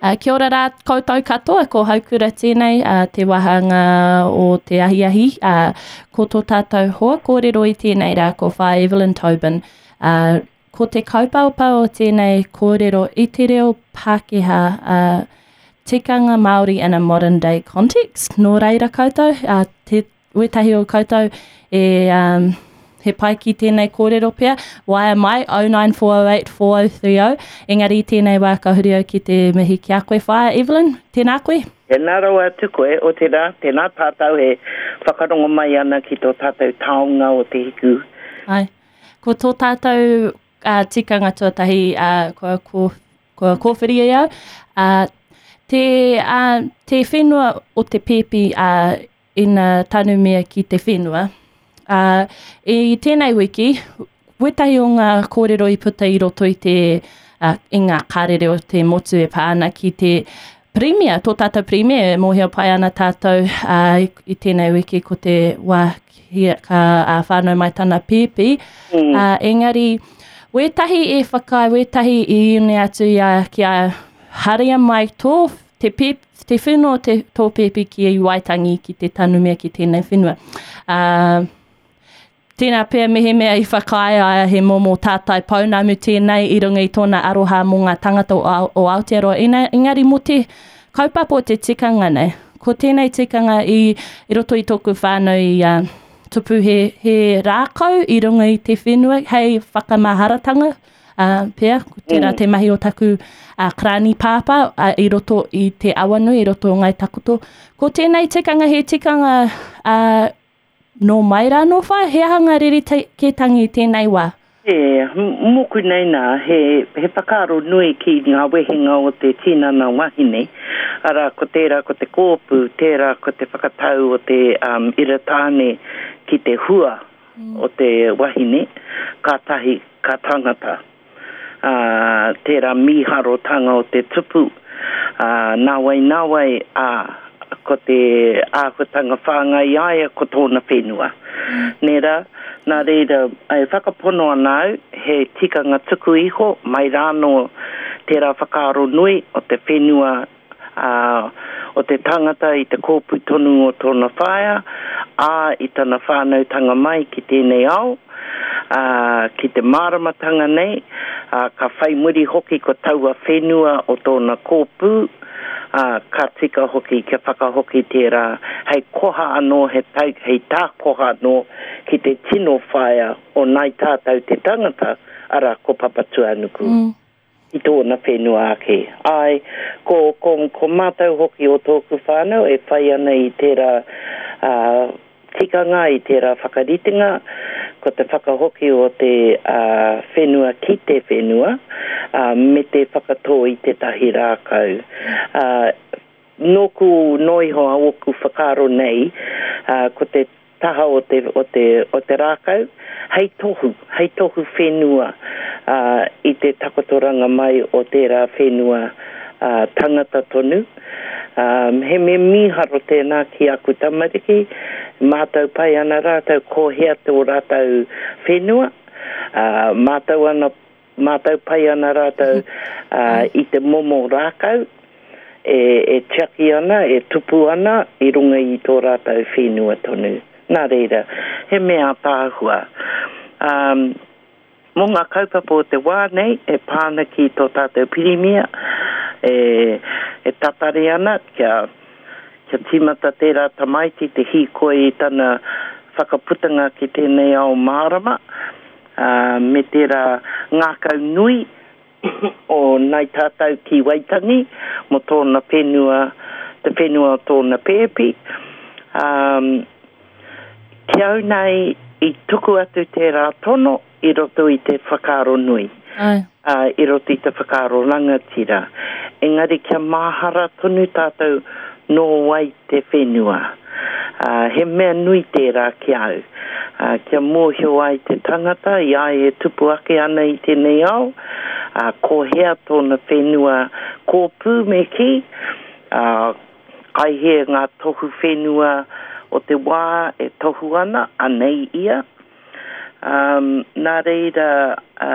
Kia ora rā koutou katoa, ko Haukura tēnei, te wāhanga o te ahiahi. Ko tō tātou hoa kōrero i tēnei rā, ko Whaea Evelyn Tobin. Ko te kaupapa o tēnei kōrero i te reo Pākehā, tikanga Māori in a modern day context. Nō reira koutou, te Wētahi o koutou e um, he pai ki tēnei kōrero pea, waea mai 09408 4030, engari i tēnei wā ka huri au ki te mihi ki a koe whaea Evelyn, tēnā koe. Tēnā rawa atu koe, otirā, tēnā tātou e whakarongo mai ana ki tō tātou taonga o te hiku. Ai. Ko tō tātou uh, tikanga tuatahi uh, kua, kua, kua kōwhiri e au, uh, te, uh, te whenua o te pēpi uh, ina tanumia ki te whenua. Ā, i tēnei wiki, wētahi o ngā kōrero i puta i roto i te, uh, i ngā karere o te motu e pā ana ki te pirimia, tō tātou pirimia, e mōhio pai ana tātou uh, i, i tēnei wiki ko te wā ki, ka uh, whānau mai tana pēpi. Mm. Uh, engari, wētahi e whakaae, wētahi i une atu i a, ki a haria mai tō te, pēp, te whenua o te, tō pēpi ki Waitangi, ki te tanumia ki tēnei whenua. Uh, tēnā pea mehemea i whakaae aia he momo tātai pounamu tēnei i runga i tōna aroha mō ngā tangata o, o Aotearoa. Ina, engari mō te kaupapa o te tikanga nei, ko tēnei tikanga i, i roto i tōku whānau i uh, tupu he, he rākau i runga i te whenua hei whakamaharatanga ā, pea, ko tērā mm. te mahi o taku uh, karani pāpā uh, i roto i te awanui, i roto o Ngai Takoto. Ko tēnei tikanga, he tikanga uh, nō mai rā nō whai, he aha ngā rerekētangi i tēnei wā? E, mōku nei nā, he, he whakaaro nui ki ngā wehenga o te tinana wahine, arā, ko tērā ko te kōpū, tērā ko te whakatau o te um, ira tāne ki te hua o te wahine, kātahi ka tangata. Ā, tērā mīharotanga o te tupu, ā, nāwai nāwai, ā, ko te āhuatanga whāngai i a ia ko tōna whenua. Nē rā? Nā reira, e whakapono ana au, he tikanga tuku iho mai rānō tērā whakaaro nui o te whenua ā, o te tangata i te kōpū tonu o tōna whaea, ā, i tana whānautanga mai ki tēnei ao, ā, ki te māramatanga nei, ā, ka whai muri hoki ko taua whenua o tōna kōpū, ā, ka tika hoki kia whakahoki tērā hei koha anō, he tau, hei tākoha anō ki te tino whaea o nāi tātou te tangata, arā, ko Papatūānuku. I tōna whenua ake. Āe, ko, ko, ko mātou hoki o tōku whānau e whai ana i tērā, ā, tikanga, i tērā whakaritenga, ko te whakahoki o te, ā, whenua ki te whenua, ā, me te whakatō i tētahi rākau. Ā, nōku noa iho a ōku whakaaro nei, ā, ko te taha o te, o te, o te rākau, hei tohu, hei tohu whenua, ā, i te takotoranga mai o tērā whenua, ā, tangata tonu. Ā, he mea mīharo tēnā ki aku tamariki, mātau pai ana rātou ko hea tō rātou whenua, ā, mātau ana Mātau pai ana rātou i te momo rākau e tiaki ana, e tupu ana i runga i tō rātou whenua tonu. Nā reira, he mea ātaahua. Mō ngā kaupapa o te wā nei e pā ana ki tō tātou Pirimia e tatari ana kia kia tīmata tērā tamaiti te hīkoi i tana whakaputanga ki tēnei ao mārama, ā, me tērā ngākau nui o Nāi Tātou ki Waitangi mō tōna whenua, te whenua o tōna pēpi. Ā, ki au nei, i tuku atu tērā tono i roto i te whakaaro nui, ā, i roto i te whakaaro rangatira. Engari kia mahara tonu tātou nō wai te whenua. Ā, he mea nui tērā ki a au, ā, kia mōhio ai te tangata i a ia e tupu ake ana i tēnei ao, ā, ko hea tōna whenua kōpū me kī, ā, kai hea ngā tohu whenua o te wā e tohu ana, anei ia. Ā, nā reira, ā.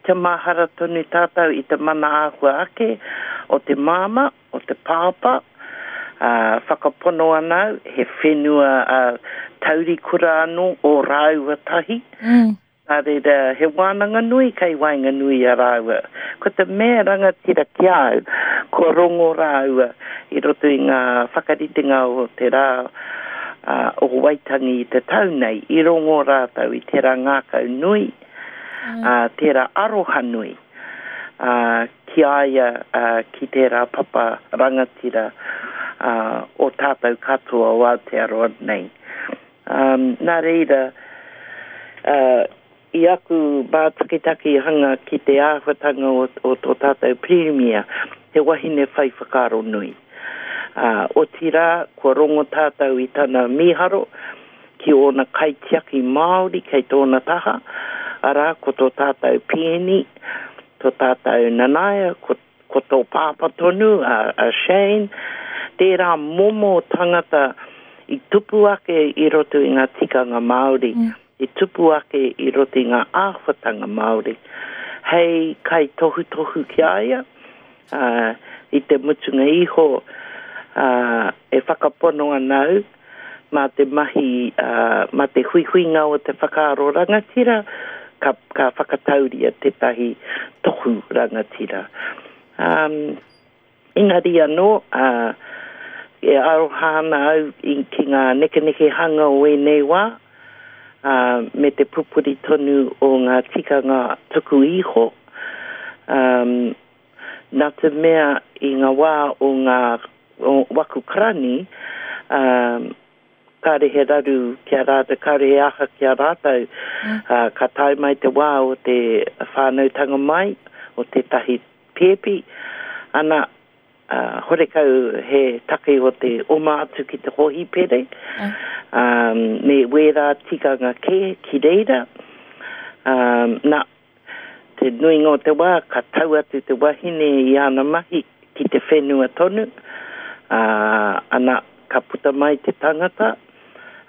Kia mahara tonu tātou i te mana āhua ake o te māmā, o te pāpā, ā, whakapono ana au, he whenua taurikura anō ō rāua tahi. Nā reira, he wānanga nui kei waenganui i a rāua. Ko te mea rangatira ki a au, kua rongo rāua i roto i ngā whakaritenga o te rā o Waitangi i te tau nei, i rongo rātou i tērā ngākau nui, tērā aroha nui ki a ia, ki tērā papa rangatira o tātou katoa o Aotearoa nei. Nā reira, i aku mātakitakihanga ki te āhuatanga o tō tātou Pirimia, he wahine whai whakaaro nui. Otirā, kua rongo tātou i tana mīharo ki ōna kaitiaki Māori kei tōna taha, arā, ko tō tātou Peeni, tō tātou Nanaia, ko Ko tō pāpā tonu, a Shane, tērā momo tangata i tupu ake i roto i ngā tikanga Māori, i tupu ake i roto i ngā āhuatanga Māori, hei kaitohutohu ki a ia, ā, i te mutunga iho, ā, e whakapono ana au, mā te mahi, ā, mā te huihuinga o te whakaaro rangatira, ka, ka whakatauria tētahi tohu rangatira. Ā, engari anō, ā, e aroha ana au i, ki ngā nekenekehanga o ēnei wā, ā, me te pupuri tonu o ngā tikanga tuku iho, ā, nā te mea i ngā wā o ngā o waku karani, ā, kāre he raru ki a rātou, kāre he aha ki a rātou, ā, ka tae mai te wā o te whānautanga mai o tētahi pēpi, ana, ā, horekau he take o te oma atu ki te hōhipere, ā, me wērā tikanga kē ki reira, ā, nā, Te nuinga o te wā ka tau atu te wahine i āna mahi ki te whenua tonu, ā, ana, ka puta mai te tangata,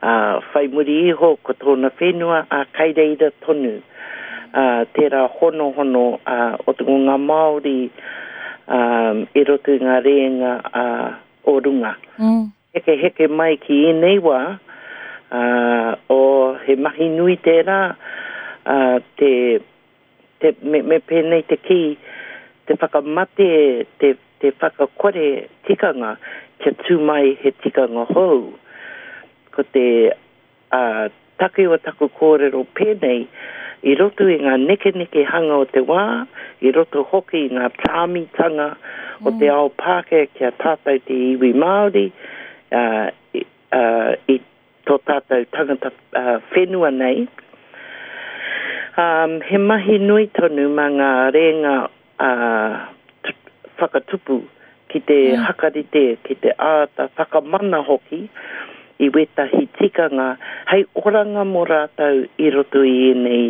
ā, whai muri iho ko tōna whenua, ā, kai reira tonu, ā, tērā honohono, ā, o te, o ngā Māori, ā, i roto i ngā rēnga, ā, o runga. Hekeheke mai ki ēnei wā, ā, oh, he mahi nui tērā, ā, te, te, me, me pēnei te kī, te whakamate, te, te whakakore tikanga kia tū mai he tikanga hou. Ko te, Ā, take o taku kōrero pēnei, i roto i ngā nekenekehanga o te wā, i roto hoki i ngā tāmitanga o te ao Pākehā ki a tātou te iwi Māori, ā, ā, i tō tātou tangata whenua nei, ā, he mahi nui tonu mā ngā rēnga ā, whakatupu, ki te hakarite, ki te āta whakamana hoki i wētahi tikanga hei oranga mō rātou i roto i ēnei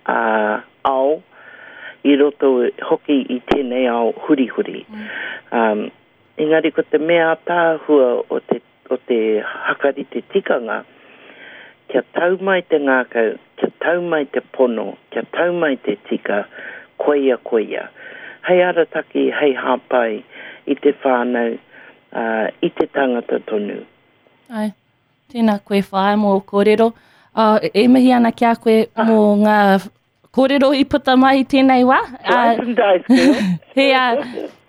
ā, ao, i roto hoki i tēnei ao hurihuri. Ā, engari ko te mea ātaahua o te o te hakarite tikanga, kia tau mai te ngākau, kia tau mai te pono, kia tau mai te tika, koia koia. Hei arataki, hei hāpai i te whānau, ā, i te tangata tonu. Āe. Tēnā koe whaea mō ō kōrero. Ā, e mihi ana ki a koe mō ngā kōrero i puta mai i tēnei wā. Slice and dice, girl. He, ā,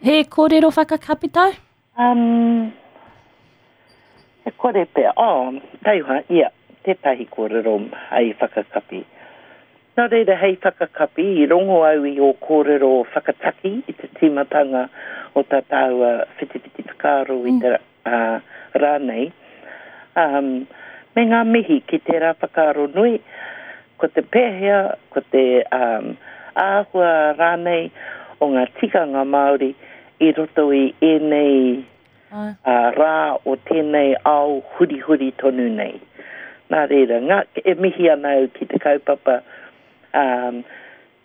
he kōrero whakakapi tāu? Um, e kore pea, oh, taihoa, ia, tētahi kōrero hei whakakapi. Nō reira, hei whakakapi, i rongo au i ō kōrero whakataki i te tīmatanga o tā tāua whitiwhiti whakaaro i te uh, rā nei. Um, me ngā mihi ki tērā whakaaro nui, ko te pēhea, ko te um, āhua rānei o ngā tikanga Māori i roto i ēnei rā o tēnei ao hurihuri tonu nei. Nā reira, ngā, e mihi ana au ki te kaupapa um,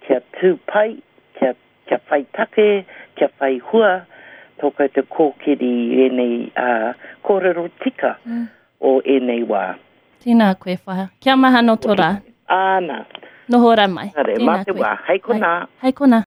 kia tū pai, kia, kia whai take, kia whai hua tō koutou kōkiri i ēnei uh, kōrero tika mm. o ēnei wā. Tēnā koe, whaea. Kia mahana tō rā. Āna. Noho ra mai. Haere, mā te wā. Hei konā. Hei konā.